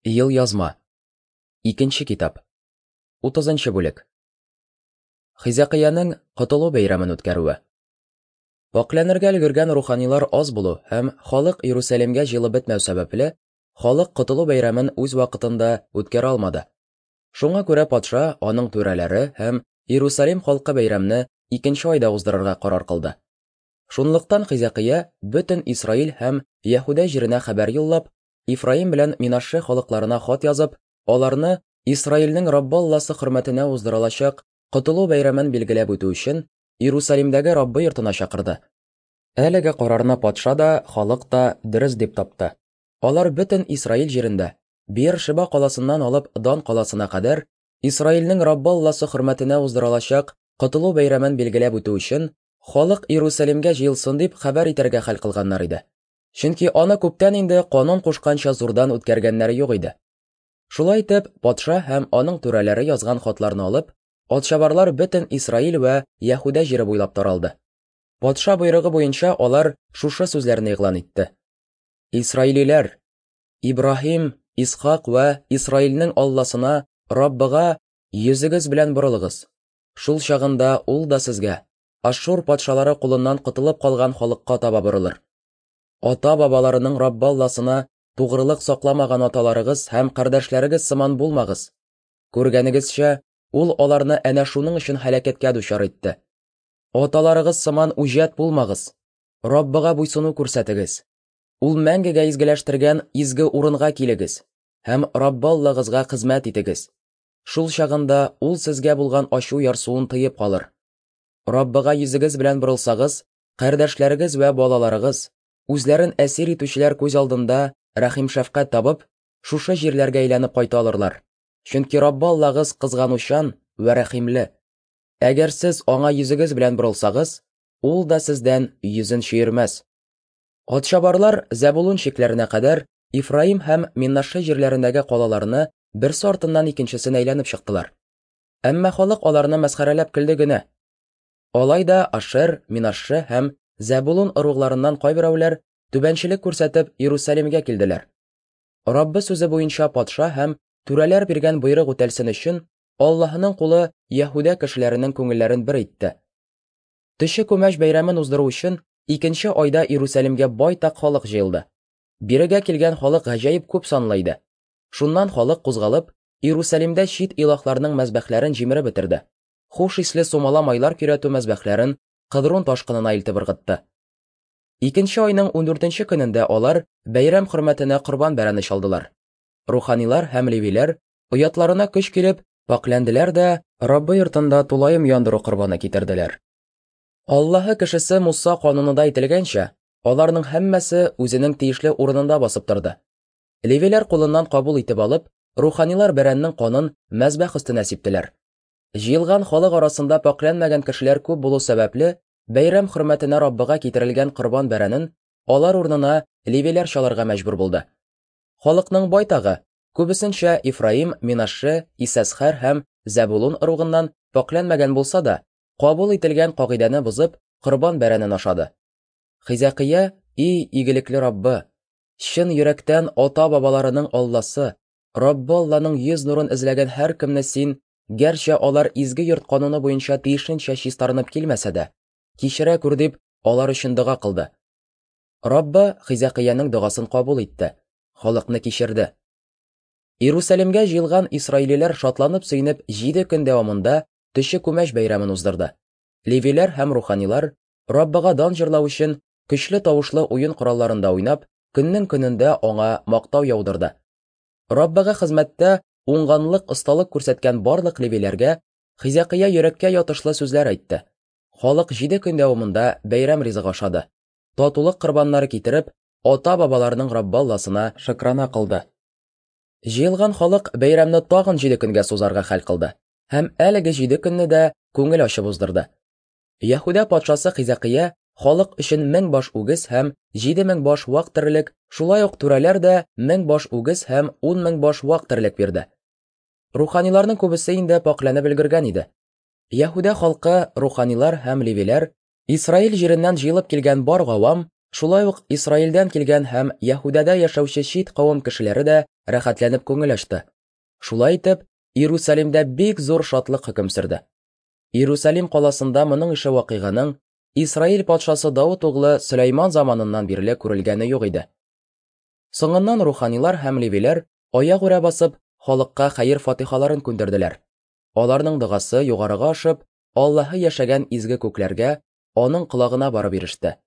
Елъязма. Икенче китап. 30 бүлек. Хизәкыянең Котылу бәйрәмен үткәрүе. Пакьләнергә өлгергән руханилар аз булу һәм халык Иерусалимгә җыелып бетмәү сәбәпле, халык Котылу бәйрәмен үз вакытында үткәрә алмады. Шуңа күрә патша, аның түрәләре һәм Иерусалим халкы бәйрәмне икенче айда уздырырга карар кылды. Шунлыктан Хизәкыя бөтен Исраил һәм Яһүдә җиренә хәбәр юллап, Ифраим белән Минашше халыкларына хат язып, аларны Исраилнең Раббы Алласы хөрмәтенә уздырылачак Котылу бәйрәмен билгеләп үтү өчен Иерусалимдәге Раббы йортына чакырды. Әлеге карарны патша да, халык та дөрес дип тапты. Алар бөтен Исраил җирендә, Беер-Шеба каласыннан алып Дан каласына кадәр, Исраилнең Раббы Алласы хөрмәтенә уздырылачак Котылу бәйрәмен билгеләп үтү өчен, халык Иерусалимгә җыелсын дип хәбәр итәргә хәл кылганнар иде. Чөнки аны күптән инде канун кушканча зурдан үткәргәннәре юк иде. Шулай итеп, патша һәм аның түрәләре язган хатларны алып, атчабарлар бөтен Исраил вә Яһүдә җире буйлап таралды. Патша боерыгы буенча алар шушы сүзләрне игълан итте. Исраилиләр, Ибраһим, Исхак вә Исраилнең Алласына, Раббыга йөзегез белән борылыгыз. Шул чагында ул да сезгә, Ашшур патшалары кулыннан котылып калган халыкка таба борылыр. Ата-бабаларының Раббы Алласына тугрылык сакламаган аталарыгыз һәм кардәшләрегез сыман булмагыз. Күргәнегезчә, ул аларны әнә шуның өчен һәлакәткә дучар итте. Аталарыгыз сыман үҗәт булмагыз. Раббыга буйсыну күрсәтегез. Ул мәңгегә изгеләштергән изге урынга килегез һәм Раббы Аллагызга хезмәт итегез. Шул чагында ул сезгә булган ачу ярсуын тыеп калыр. Раббыга йөзегез белән борылсагыз, кардәшләрегез вә балаларыгыз, үзләрен әсир итүчеләр күз алдында рәхим-шәфкать табып, шушы җирләргә әйләнеп кайта алырлар. Чөнки Раббы Аллагыз кызганучан вә рәхимле. Әгәр сез аңа йөзегез белән борылсагыз, ул да сездән йөзен чөермәс. Атчабарлар Зәбулун чикләренә кадәр Ифраим һәм Миннаше җирләрендәге калаларны берсе артыннан икенчесен әйләнеп чыктылар. Әмма халык аларны мәсхәрәләп көлде генә. Алай да Ашер, Минашше һәм Зәбулун ыругларыннан кайберәүләр түбәнчелек күрсәтеп Иерусалимгә килделәр. Раббы сүзе буенча патша һәм түрәләр биргән боерык үтәлсен өчен, Аллаһының кулы Яһүдә кешеләренең күңелләрен бер итте. Төче күмәч бәйрәмен уздыру өчен икенче айда Иерусалимгә байтак халык җыелды. Бирегә килгән халык гаҗәеп күп санлы иде. Шуннан халык кузгалып, Иерусалимдә чит илаһларның мәзбәхләрен җимереп бетерде. Хуш исле сумала майлар көйрәтү мәзбәхләрен Кыдрун ташкынына илтеп ыргытты. Икенче айның ундүртенче көнендә алар бәйрәм хөрмәтенә корбан бәрәне чалдылар. Руханилар һәм левиләр, оятларына көч килеп, пакьләнделәр дә Раббы йортында тулаем яндыру корбаны китерделәр. Аллаһы кешесе Муса канунында әйтелгәнчә, аларның һәммәсе үзенең тиешле урынында басып торды. Левиләр кулыннан кабул итеп алып, руханилар бәрәннең канын мәзбәх өстенә сиптеләр. Җыелган халык арасында пакьләнмәгән кешеләр күп булу сәбәпле, бәйрәм хөрмәтенә Раббыга китерелгән корбан бәрәнен алар урынына левиләр чалырга мәҗбүр булды. Халыкның байтагы, күбесенчә Ифраим, Минашше, Исәсхәр һәм Зәбулун ыругыннан пакьләнмәгән булса да, кабул ителгән кагыйдәне бозып, корбан бәрәнен ашады. Хизәкыя, и игелекле Раббы, чын йөрәктән ата-бабаларының Алласы, Раббы Алланың йөз нурын эзләгән һәркемне син, гәрчә алар изге йорт кануны буенча тиешенчә чистарынып килмәсә дә, кичерә күр дип, алар өчен дога кылды. Раббы Хизәкыянең догасын кабул итте, халыкны кичерде. Иерусалимгә җыелган исраилиләр шатланып-сөенеп 7 көн дәвамында төче күмәч бәйрәмен уздырды. Левиләр һәм руханилар Раббыга дан җырлау өчен көчле тавышлы уен коралларында уйнап, көннең көнендә аңа мактау яудырды. Раббыга хезмәттә уңганлык, осталык күрсәткән барлык левиләргә Хизәкыя йөрәккә ятышлы сүзләр әйтте. Халык 7 көн дәвамында бәйрәм ризыгы ашады. Татулык корбаннары китереп, ата-бабаларының Раббы Алласына шөкрана кылды. Җыелган халык бәйрәмне тагын 7 көнгә сузарга хәл кылды һәм әлеге 7 көнне дә күңел ачып уздырды. Яһүдә патшасы Хизәкыя халык өчен 1000 баш үгез һәм 7000 баш вак терлек, шулай ук түрәләр дә 1000 баш үгез һәм 10000 баш вак терлек бирде. Руханиларның күбесе инде пакьләнеп өлгергән иде. Яһүдә халкы, руханилар һәм левиләр, Исраил җиреннән җыелып килгән бар гавам Шулай ук Исраилдән килгән һәм Яһүдәдә яшәүче чит кавым кешеләре дә рәхәтләнеп күңел ачты. Шулай итеп, Иерусалимдә бик зур шатлык хөкем сөрде. Иерусалим каласында моның ише вакыйганың Исраил патшасы Давыт углы Сөләйман заманыннан бирле күрелгәне юк иде. Соңыннан руханилар һәм левиләр аягүрә басып, халыкка хәер-фатихаларын күндерделәр. Аларның догасы югарыга ашып, Аллаһы яшәгән изге күкләргә, аның колагына барып иреште.